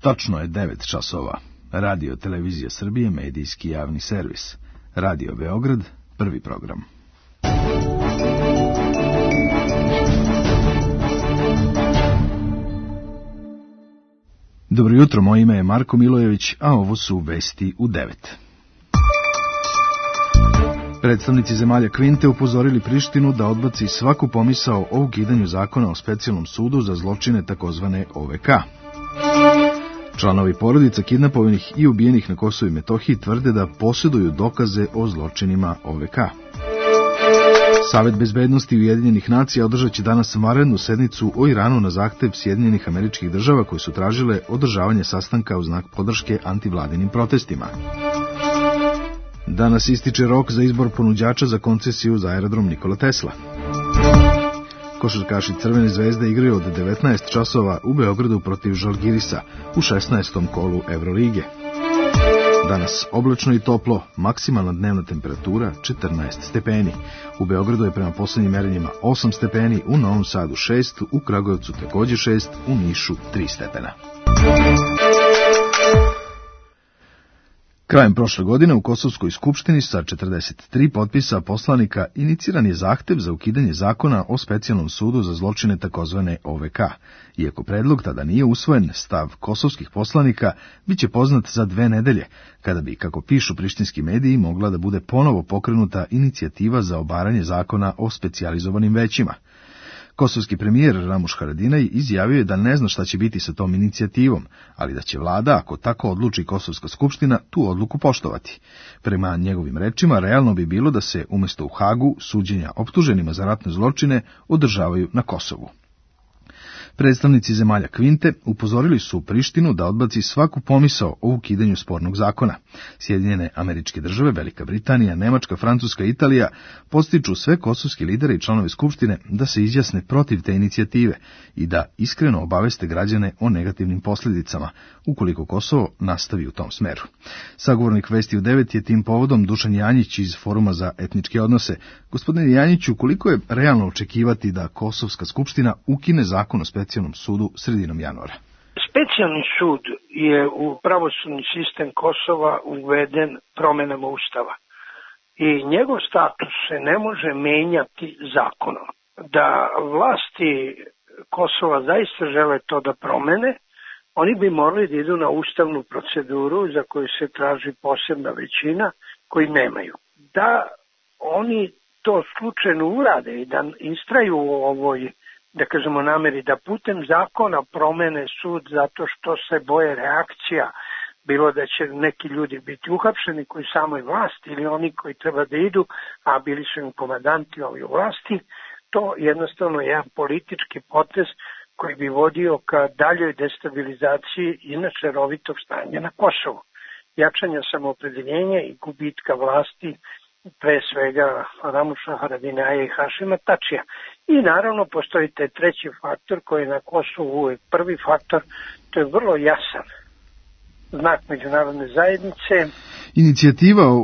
Tačno je 9 časova. Radio Televizija Srbije, medijski javni servis. Radio Beograd, prvi program. Dobro jutro, moje ime je Marko Milojević, a ovo su vesti u 9. Predstavnici zemalja Kvinte upozorili Prištinu da odbaci svaku pomisao o ukidanju zakona o specijalnom sudu za zločine takozvane OVK. Članovi porodica kidnapovanih i ubijenih na Kosovu i Metohiji tvrde da posjeduju dokaze o zločinima OVK. Savet bezbednosti Ujedinjenih nacija održat će danas vanrednu sednicu o Iranu na zahtev Sjedinjenih Američkih Država koje su tražile održavanje sastanka u znak podrške antivladinim protestima. Danas ističe rok za izbor ponuđača za koncesiju za aerodrom Nikola Tesla. Košarkaši Crvene zvezde igraju od 19 časova u Beogradu protiv Žalgirisa u 16. kolu Evrolige. Danas oblačno i toplo, maksimalna dnevna temperatura 14 stepeni. U Beogradu je prema posljednjim merenjima 8 stepeni, u Novom Sadu 6, u Kragujevcu također 6, u Nišu 3 stepena. Krajem prošle godine u Kosovskoj skupštini sa 43 potpisa poslanika iniciran je zahtev za ukidanje zakona o specijalnom sudu za zločine takozvane OVK. Iako predlog tada nije usvojen, stav kosovskih poslanika biće poznat za 2 nedelje, kada bi, kako pišu prištinski mediji, mogla da bude ponovo pokrenuta inicijativa za obaranje zakona o specijalizovanim većima. Kosovski premijer Ramuš Haradinaj izjavio je da ne zna šta će biti sa tom inicijativom, ali da će vlada, ako tako odluči Kosovska skupština, tu odluku poštovati. Prema njegovim rečima, realno bi bilo da se umjesto u Hagu suđenja optuženima za ratne zločine održavaju na Kosovu. Predstavnici zemalja Kvinte upozorili su Prištinu da odbaci svaku pomisao o ukidanju spornog zakona. Sjedinjene Američke Države, Velika Britanija, Nemačka, Francuska i Italija podstiču sve kosovske lidere i članove skupštine da se izjasne protiv te inicijative i da iskreno obaveste građane o negativnim posljedicama, ukoliko Kosovo nastavi u tom smeru. Sagovornik Vesti u 9 je tim povodom Dušan Janjić iz Foruma za etničke odnose. Gospodine Janjiću, koliko je realno očekivati da Kosovska skupština ukine zakon o specijalnom sudu sredinom januara? Specijalni sud je u pravosudni sistem Kosova uveden promjenama Ustava i njegov status se ne može menjati zakonom. Da vlasti Kosova zaista žele to da promene, oni bi morali da idu na ustavnu proceduru za koju se traži posebna većina koji nemaju. Da oni to slučajno urade i da istraju u ovoj, da kažemo, nameri da putem zakona promene sud zato što se boje reakcija, bilo da će neki ljudi biti uhapšeni koji samoj vlasti ili oni koji treba da idu, a bili su im komandanti ovi u vlasti, to jednostavno je jedan politički potez koji bi vodio ka daljoj destabilizaciji inače rovitog stanja na Kosovu, jačanja samoopredeljenja i gubitka vlasti, pre svega Ramuša Haradinaja i Hašima Tačija. I naravno postoji taj treći faktor koji je na Kosovu uvijek prvi faktor, to je vrlo jasan znak međunarodne zajednice.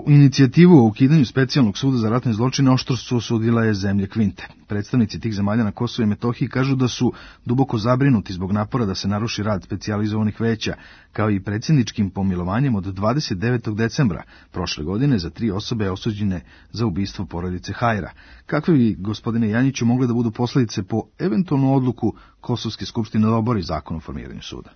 Inicijativu o ukidanju specijalnog suda za ratne zločine oštro su osudila je zemlje Kvinte. Predstavnici tih zemalja na Kosovu i Metohiji kažu da su duboko zabrinuti zbog napora da se naruši rad specijalizovanih veća, kao i predsjedničkim pomilovanjem od 29. decembra prošle godine za 3 osobe osuđene za ubistvo porodice Hajra. Kakve bi, gospodine Janjiću, mogle da budu posljedice po eventualnu odluku Kosovske skupštine da obori zakon o formiranju suda?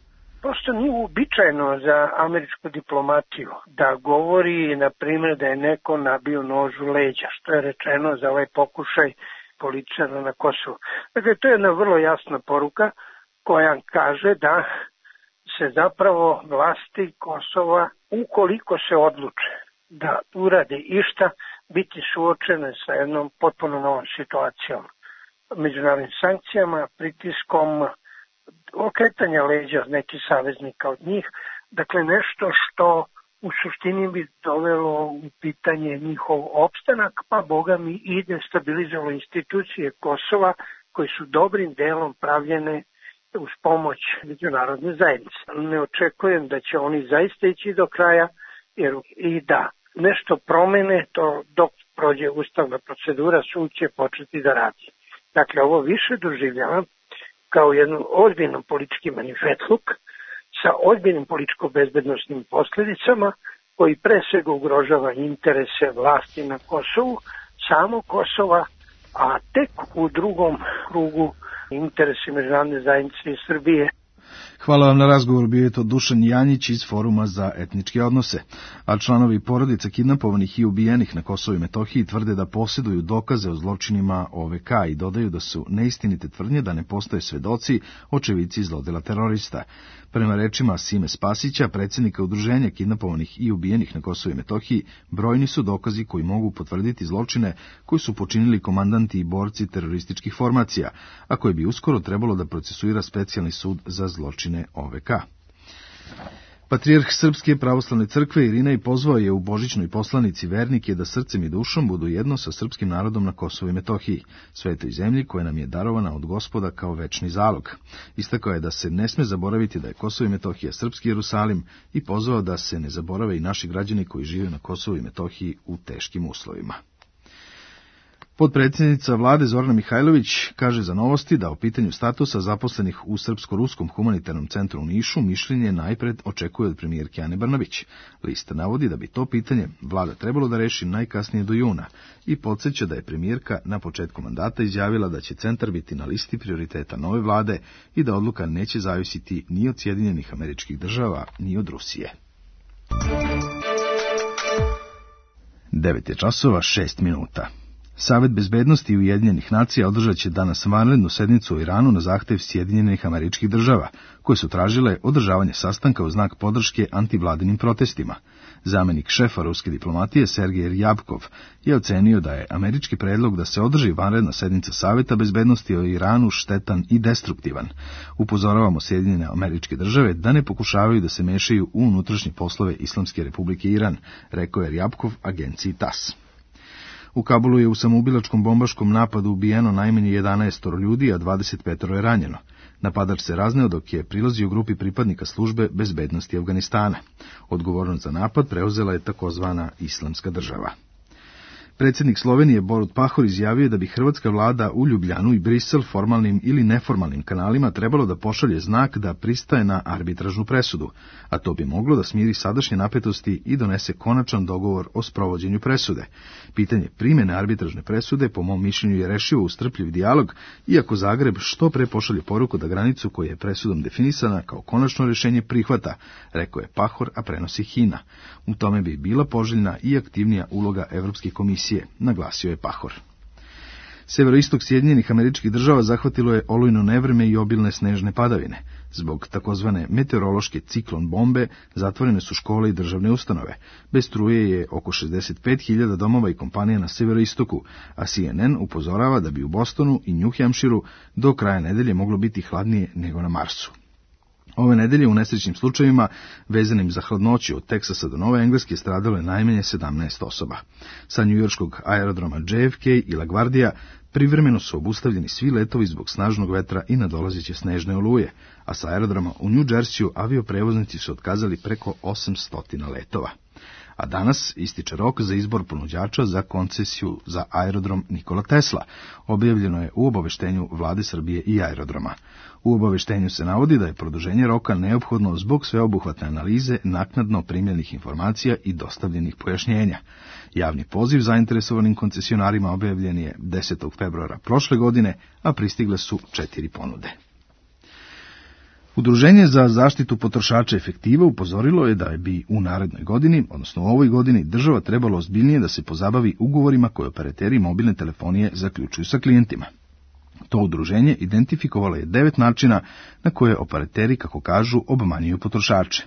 Prosto nije uobičajeno za američku diplomatiju da govori, na primjer, da je neko nabio nož u leđa, što je rečeno za ovaj pokušaj političara na Kosovu. Dakle, to je jedna vrlo jasna poruka koja kaže da se zapravo vlasti Kosova, ukoliko se odluče da urade išta, biti suočene sa jednom potpuno novom situacijom, međunarodnim sankcijama, pritiskom, okretanja leđa nekih saveznika od njih, dakle nešto što u suštini bi dovelo u pitanje njihov opstanak, pa boga mi i destabilizovalo institucije Kosova koje su dobrim delom pravljene uz pomoć međunarodne zajednice. Ne očekujem da će oni zaista ići do kraja, jer i da nešto promene, to dok prođe ustavna procedura, sud će početi da radi. Dakle, ovo više doživljavam kao jednu ozbiljnu politički manifetluk sa ozbiljnim političko-bezbednosnim posljedicama koji pre svega ugrožava interese vlasti na Kosovu, samo Kosova, a tek u drugom krugu interesi međunarodne zajednice i Srbije. Hvala vam na razgovor, bio je to Dušan Janjić iz Foruma za etničke odnose, a članovi porodica kidnapovanih i ubijenih na Kosovu i Metohiji tvrde da posjeduju dokaze o zločinima OVK i dodaju da su neistinite tvrdnje da ne postoje svedoci, očevici zlodela terorista. Prema rečima Sime Spasića, predsjednika udruženja kidnapovanih i ubijenih na Kosovu i Metohiji, brojni su dokazi koji mogu potvrditi zločine koji su počinili komandanti i borci terorističkih formacija, a koje bi uskoro trebalo da procesuira specijalni sud za zločine OVK. Patrijarh Srpske pravoslavne crkve Irinej pozvao je u božićnoj poslanici vernike da srcem i dušom budu jedno sa srpskim narodom na Kosovu i Metohiji, svetoj zemlji koja nam je darovana od Gospoda kao večni zalog. Istakao je da se ne sme zaboraviti da je Kosovo i Metohija srpski Jerusalim i pozvao da se ne zaborave i naši građani koji žive na Kosovu i Metohiji u teškim uslovima. Potpredsjednica vlade Zorana Mihajlović kaže za Novosti da o pitanju statusa zaposlenih u Srpsko-ruskom humanitarnom centru u Nišu mišljenje najpred očekuje od premijerke Ane Brnabić. List navodi da bi to pitanje vlada trebalo da reši najkasnije do juna i podsjeća da je premijerka na početku mandata izjavila da će centar biti na listi prioriteta nove vlade i da odluka neće zavisiti ni od Sjedinjenih Američkih Država ni od Rusije. 9:06. Savet bezbednosti Ujedinjenih nacija održat će danas vanrednu sednicu u Iranu na zahtev Sjedinjenih Američkih Država, koje su tražile održavanje sastanka u znak podrške antivladinim protestima. Zamenik šefa ruske diplomatije Sergej Rjabkov je ocenio da je američki predlog da se održi vanredna sednica Saveta bezbednosti o Iranu štetan i destruktivan. Upozoravamo Sjedinjene Američke Države da ne pokušavaju da se mešaju u unutrašnje poslove Islamske Republike Iran, rekao je Rjabkov agenciji TASS. U Kabulu je u samoubilačkom bombaškom napadu ubijeno najmanje 11 ljudi, a 25 je ranjeno. Napadač se razneo dok je prilazio grupi pripadnika službe bezbednosti Afganistana. Odgovornost za napad preuzela je takozvana Islamska država. Predsjednik Slovenije Borut Pahor izjavio da bi hrvatska vlada u Ljubljanu i Brisel formalnim ili neformalnim kanalima trebalo da pošalje znak da pristaje na arbitražnu presudu, a to bi moglo da smiri sadašnje napetosti i donese konačan dogovor o sprovođenju presude. Pitanje primjene arbitražne presude, po mom mišljenju, je rešivo uz strpljiv dijalog, iako Zagreb što pre pošalje poruku da granicu koja je presudom definisana kao konačno rješenje prihvata, rekao je Pahor, a prenosi HINA. U tome bi bila poželjna i aktivnija uloga Evropske komisije, naglasio je Pahor. Severoistok Sjedinjenih Američkih Država zahvatilo je olujno nevreme i obilne snežne padavine. Zbog takozvane meteorološke ciklon bombe zatvorene su škole i državne ustanove. Bez struje je oko 65.000 domova i kompanija na severoistoku, a CNN upozorava da bi u Bostonu i New Hampshireu do kraja nedelje moglo biti hladnije nego na Marsu. Ove nedelje u nesrećnim slučajevima, vezanim za hladnoću od Teksasa do Nove Engleske, stradalo je najmanje 17 osoba. Sa njujorškog aerodroma JFK i LaGuardia privremeno su obustavljeni svi letovi zbog snažnog vetra i nadolazeće snežne oluje, a sa aerodroma u New Jerseyu avioprevoznici su otkazali preko 800 letova. A danas ističe rok za izbor ponuđača za koncesiju za aerodrom Nikola Tesla. Objavljeno je u obaveštenju Vlade Srbije i aerodroma. U obaveštenju se navodi da je produženje roka neophodno zbog sveobuhvatne analize naknadno primljenih informacija i dostavljenih pojašnjenja. Javni poziv zainteresovanim koncesionarima objavljen je 10. februara prošle godine, a pristigle su 4 ponude. Udruženje za zaštitu potrošača Efektiva upozorilo je da bi u narednoj godini, odnosno u ovoj godini, država trebalo ozbiljnije da se pozabavi ugovorima koje operateri mobilne telefonije zaključuju sa klijentima. To udruženje identifikovalo je 9 načina na koje operateri, kako kažu, obmanjuju potrošače.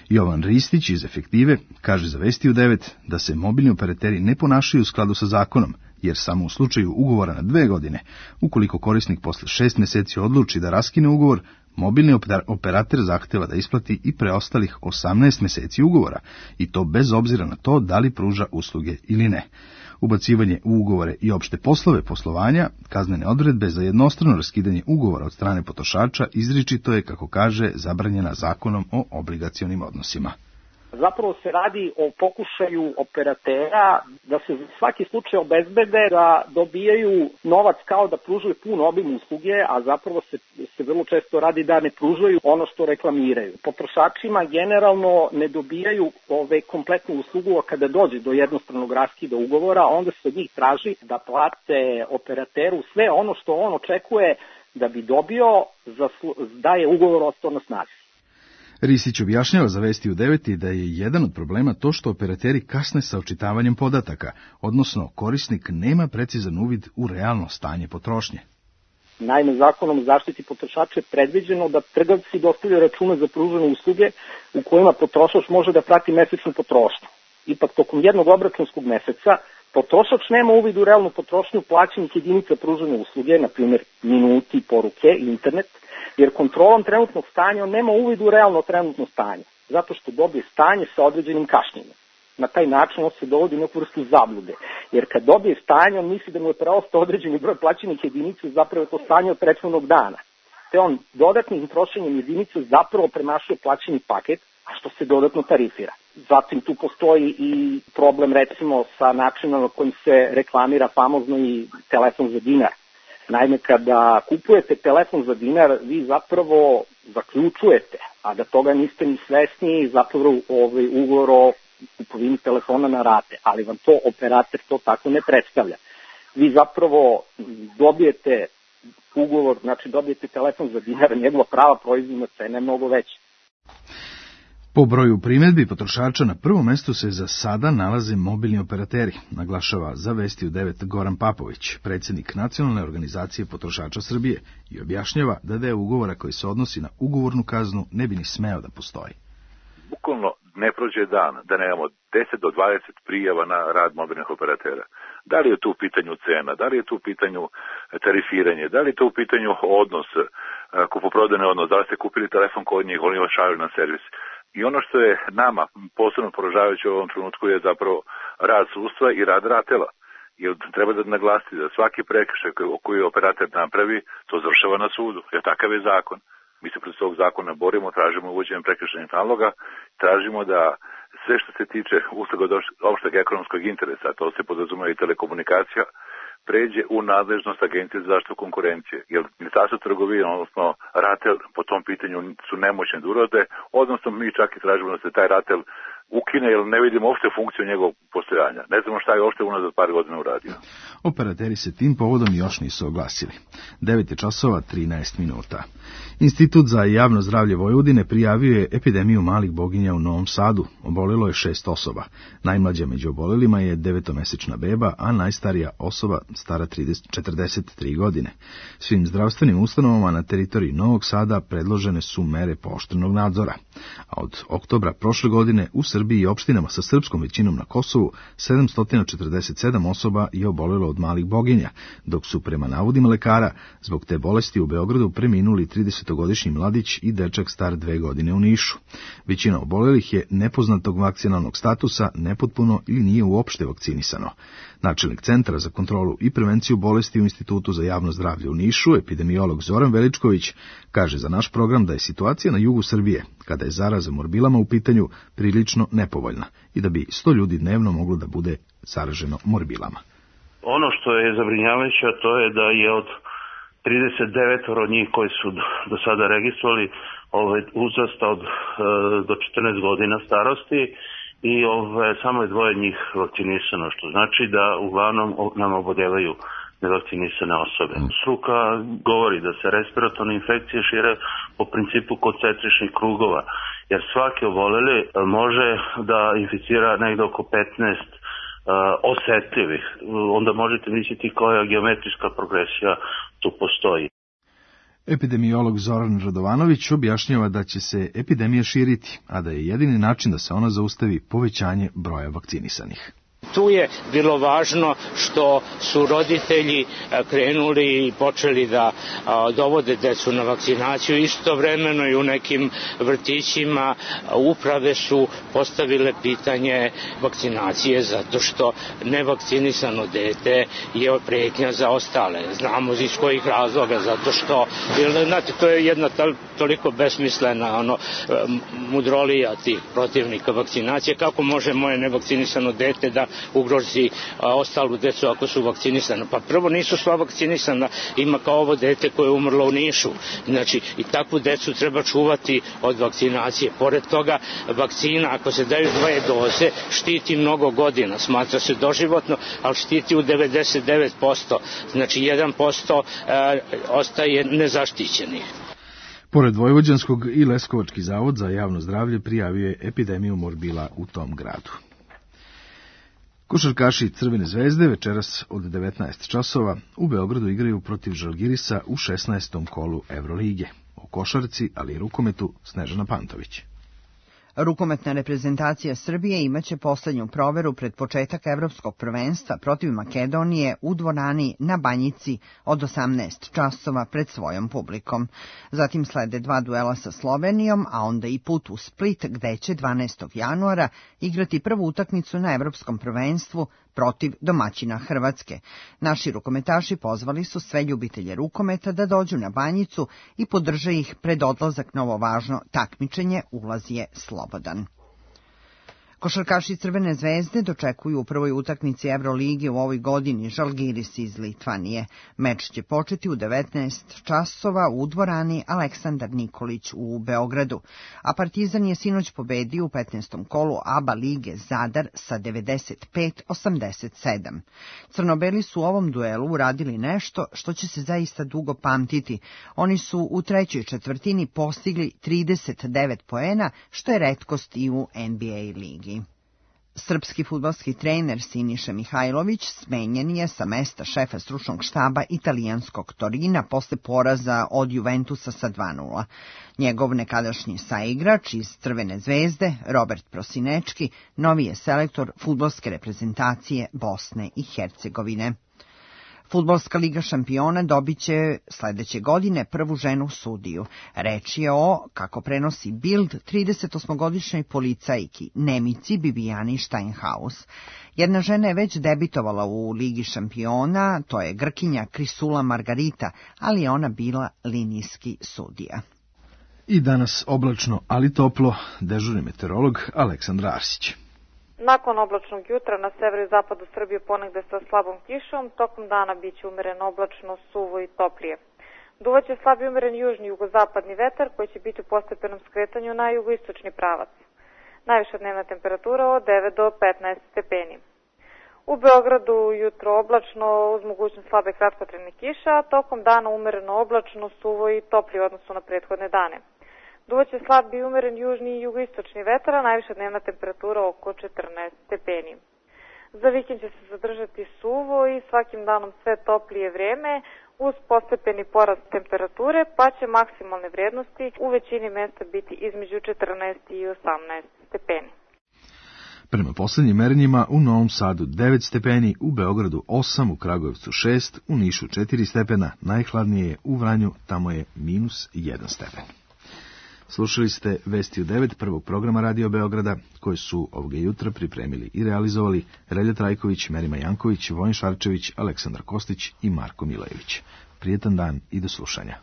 Jovan Ristić iz Efektive kaže za Vesti u 9 da se mobilni operateri ne ponašaju u skladu sa zakonom, jer samo u slučaju ugovora na 2 godine, ukoliko korisnik posle 6 mjeseci odluči da raskine ugovor, mobilni operater zahteva da isplati i preostalih 18 mjeseci ugovora, i to bez obzira na to da li pruža usluge ili ne. Ubacivanje u ugovore i opšte poslove poslovanja, kaznene odredbe za jednostrano raskidanje ugovora od strane potrošača izričito je, kako kaže, zabranjena Zakonom o obligacionim odnosima. Zapravo se radi o pokušaju operatera da se za svaki slučaj obezbede da dobijaju novac kao da pružaju pun obim usluge, a zapravo se vrlo često radi da ne pružaju ono što reklamiraju. Potrošačima generalno ne dobijaju kompletnu uslugu, a kada dođe do jednostranog raskida ugovora, onda se od njih traži da plate operateru sve ono što on očekuje da bi dobio da je ugovor ostao na snazi. Risić objašnjava za Vesti u 9 da je jedan od problema to što operateri kasne sa očitavanjem podataka, odnosno korisnik nema precizan uvid u realno stanje potrošnje. Naime, Zakonom o zaštiti potrošača je predviđeno da trgovci dostavljaju račune za pružene usluge u kojima potrošač može da prati mesečnu potrošnju. Ipak, tokom jednog obračunskog meseca, potrošač nema uvid u realnu potrošnju plaćenih jedinica pružene usluge, na primjer minuti, poruke i internet, jer kontrolom trenutnog stanja on nema uvid u realno trenutno stanje, zato što dobije stanje sa određenim kašnjenjem. Na taj način on se dovodi u neku vrstu zablude, jer kad dobije stanje, on misli da mu je preostao određeni broj plaćenih jedinica, zapravo je to stanje od prethodnog dana. Te on dodatnim trošenjem jedinica zapravo premašuje plaćeni paket, a što se dodatno tarifira. Zatim tu postoji i problem recimo sa načinom na kojim se reklamira famozno i telefon za dinar. Naime, kada kupujete telefon za dinar, vi zapravo zaključujete, a da toga niste ni svesni, zapravo ugovor o kupovini telefona na rate, ali vam to operator to tako ne predstavlja. Vi zapravo dobijete ugovor, znači dobijete telefon za dinar, njegova prava proizvodna cena je mnogo veća. Po broju primjedbi potrošača na prvom mestu se za sada nalaze mobilni operateri, naglašava za Vesti u 9 Goran Papović, predsjednik Nacionalne organizacije potrošača Srbije, i objašnjava da deo ugovora koji se odnosi na ugovornu kaznu ne bi ni smeo da postoji. Bukvalno ne prođe dan da nemamo 10 do 20 prijava na rad mobilnih operatera. Da li je tu u pitanju cena, da li je tu u pitanju tarifiranje, da li je tu u pitanju odnos, kupoprodajni odnos, da li ste kupili telefon kod njih, oni vas šalju na servis. I ono što je nama posebno poražavajuće u ovom trenutku je zapravo rad sudstva i rad RATEL-a. Jer treba da naglasiti da svaki prekršaj koji operator napravi, to završava na sudu, jer takav je zakon. Mi se protiv tog zakona borimo, tražimo uvođenjem prekršajnih naloga, tražimo da sve što se tiče usluga od opšteg ekonomskog interesa, to se podrazumeva i telekomunikacija, pređe u nadležnost Agencije za zaštitu konkurencije. Jer Ministarstvo trgovine, odnosno RATEL, po tom pitanju su nemoćni da urade, odnosno mi čak i tražimo da se taj RATEL ukine, jer ne vidimo uopšte funkciju njegovog postojanja. Ne znamo šta je uopšte unazad par godina uradio. Operateri se tim povodom još nisu oglasili. 9:13. Institut za javno zdravlje Vojvodine prijavio je epidemiju malih boginja u Novom Sadu. Obolilo je 6 osoba. Najmlađa među obolelima je 9-mesečna beba, a najstarija osoba stara 43 godine. Svim zdravstvenim ustanovama na teritoriji Novog Sada predložene su mere pooštrenog nadzora. A od oktobra prošle godine u Srbiji i opštinama sa srpskom većinom na Kosovu 747 osoba je obolelo od malih boginja, dok su prema navodima lekara zbog te bolesti u Beogradu preminuli 30-godišnji mladić i dečak star 2 godine u Nišu. Većina obolelih je nepoznatog vakcinalnog statusa, nepotpuno ili nije uopšte vakcinisano. Načelnik Centra za kontrolu i prevenciju bolesti u Institutu za javno zdravlje u Nišu, epidemiolog Zoran Veličković, kaže za naš program da je situacija na jugu Srbije, kada je zaraza morbilama u pitanju, prilično nepovoljna i da bi 100 ljudi dnevno moglo da bude zaraženo morbilama. Ono što je zabrinjavajuće, to je da je od 39 od njih koji su do sada registrovali uzrasta do 14 godina starosti i samo je 2 njih vakcinisano, što znači da uglavnom nam oboljevaju nevakcinisane osobe. Struka govori da se respiratorne infekcije šire po principu koncentričnih krugova, jer svaki oboleli može da inficira negde oko 15 osetljivih. Onda možete misliti koja geometrijska progresija tu postoji. Epidemiolog Zoran Radovanović objašnjava da će se epidemija širiti, a da je jedini način da se ona zaustavi povećanje broja vakcinisanih. Tu je bilo važno što su roditelji krenuli i počeli da dovode decu na vakcinaciju. Istovremeno i u nekim vrtićima uprave su postavile pitanje vakcinacije zato što nevakcinisano dete je pretnja za ostale. Znamo iz kojih razloga, zato što, znate, to je jedna toliko besmislena mudrolija tih protivnika vakcinacije. Kako može moje nevakcinisano dete da ugrozi ostalu decu ako su vakcinisana? Pa prvo nisu sva vakcinisana, ima kao ovo dete koje je umrlo u Nišu. Znači, i takvu decu treba čuvati od vakcinacije. Pored toga, vakcina, ako se daju 2 doze, štiti mnogo godina, smatra se doživotno, ali štiti u 99%. Znači, 1% ostaje nezaštićenih. Pored Vojvođanskog i Leskovački zavod za javno zdravlje prijavio je epidemiju morbila u tom gradu. Košarkaši Crvene zvezde večeras od 19 časova u Beogradu igraju protiv Žalgirisa u 16. kolu Evrolige. O košarci, ali i rukometu, Snežana Pantović. Rukometna reprezentacija Srbije imaće poslednju proveru pred početak evropskog prvenstva protiv Makedonije u dvorani na Banjici od 18 časova pred svojom publikom. Zatim slede 2 duela sa Slovenijom, a onda i put u Split gde će 12. januara igrati prvu utakmicu na evropskom prvenstvu protiv domaćina Hrvatske. Naši rukometaši pozvali su sve ljubitelje rukometa da dođu na Banjicu i podrže ih pred odlazak na ovo važno takmičenje, ulaz je slobodan. Košarkaši Crvene zvezde dočekuju u prvoj utakmici Evrolige u ovoj godini Žalgiris iz Litvanije. Meč će početi u 19 časova u dvorani Aleksandar Nikolić u Beogradu, a Partizan je sinoć pobedio u 15. kolu ABA lige Zadar sa 95-87. Crnobeli su u ovom duelu uradili nešto što će se zaista dugo pamtiti. Oni su u trećoj četvrtini postigli 39 poena, što je retkost i u NBA ligi. Srpski fudbalski trener Siniša Mihajlović smenjen je sa mesta šefa stručnog štaba italijanskog Torina posle poraza od Juventusa sa 2:0. Njegov nekadašnji saigrač iz Crvene zvezde, Robert Prosinečki, novi je selektor fudbalske reprezentacije Bosne i Hercegovine. Fudbalska liga šampiona dobit će sledeće godine prvu ženu sudiju. Reč je o, kako prenosi Bild, 38-godišnjoj policajki Nemici Bibijani Steinhaus. Jedna žena je već debitovala u ligi šampiona, to je Grkinja Krisula Margarita, ali je ona bila linijski sudija. I danas oblačno, ali toplo, dežurni meteorolog Aleksandra Arsić. Nakon oblačnog jutra na severu i zapadu Srbije ponegde sa slabom kišom, tokom dana biće umeren oblačno, suvo i toplije. Duvaće slab i umeren južni jugozapadni vetar koji će biti u postepenom skretanju na jugoistočni pravac. Najviša dnevna temperatura od 9 do 15 stepeni. U Beogradu jutro oblačno uz mogućnost slabe kratkotrajne kiše, a tokom dana umereno oblačno, suvo i toplije u odnosu na prethodne dane. Duvaće slab i umeren južni i jugoistočni vetar, a najviša dnevna temperatura oko 14 stepeni. Za vikend će se zadržati suvo i svakim danom sve toplije vreme uz postepeni porast temperature, pa će maksimalne vrednosti u većini mesta biti između 14 i 18 stepeni. Prema poslednjim merenjima u Novom Sadu 9 stepeni, u Beogradu 8, u Kragujevcu 6, u Nišu 4 stepena, najhladnije je u Vranju, tamo je -1 stepen. Slušali ste Vesti u 9 prvog programa Radio Beograda, koje su ovoga jutra pripremili i realizovali Relja Trajković, Merima Janković, Vojin Šarčević, Aleksandar Kostić i Marko Milejević. Prijetan dan i do slušanja.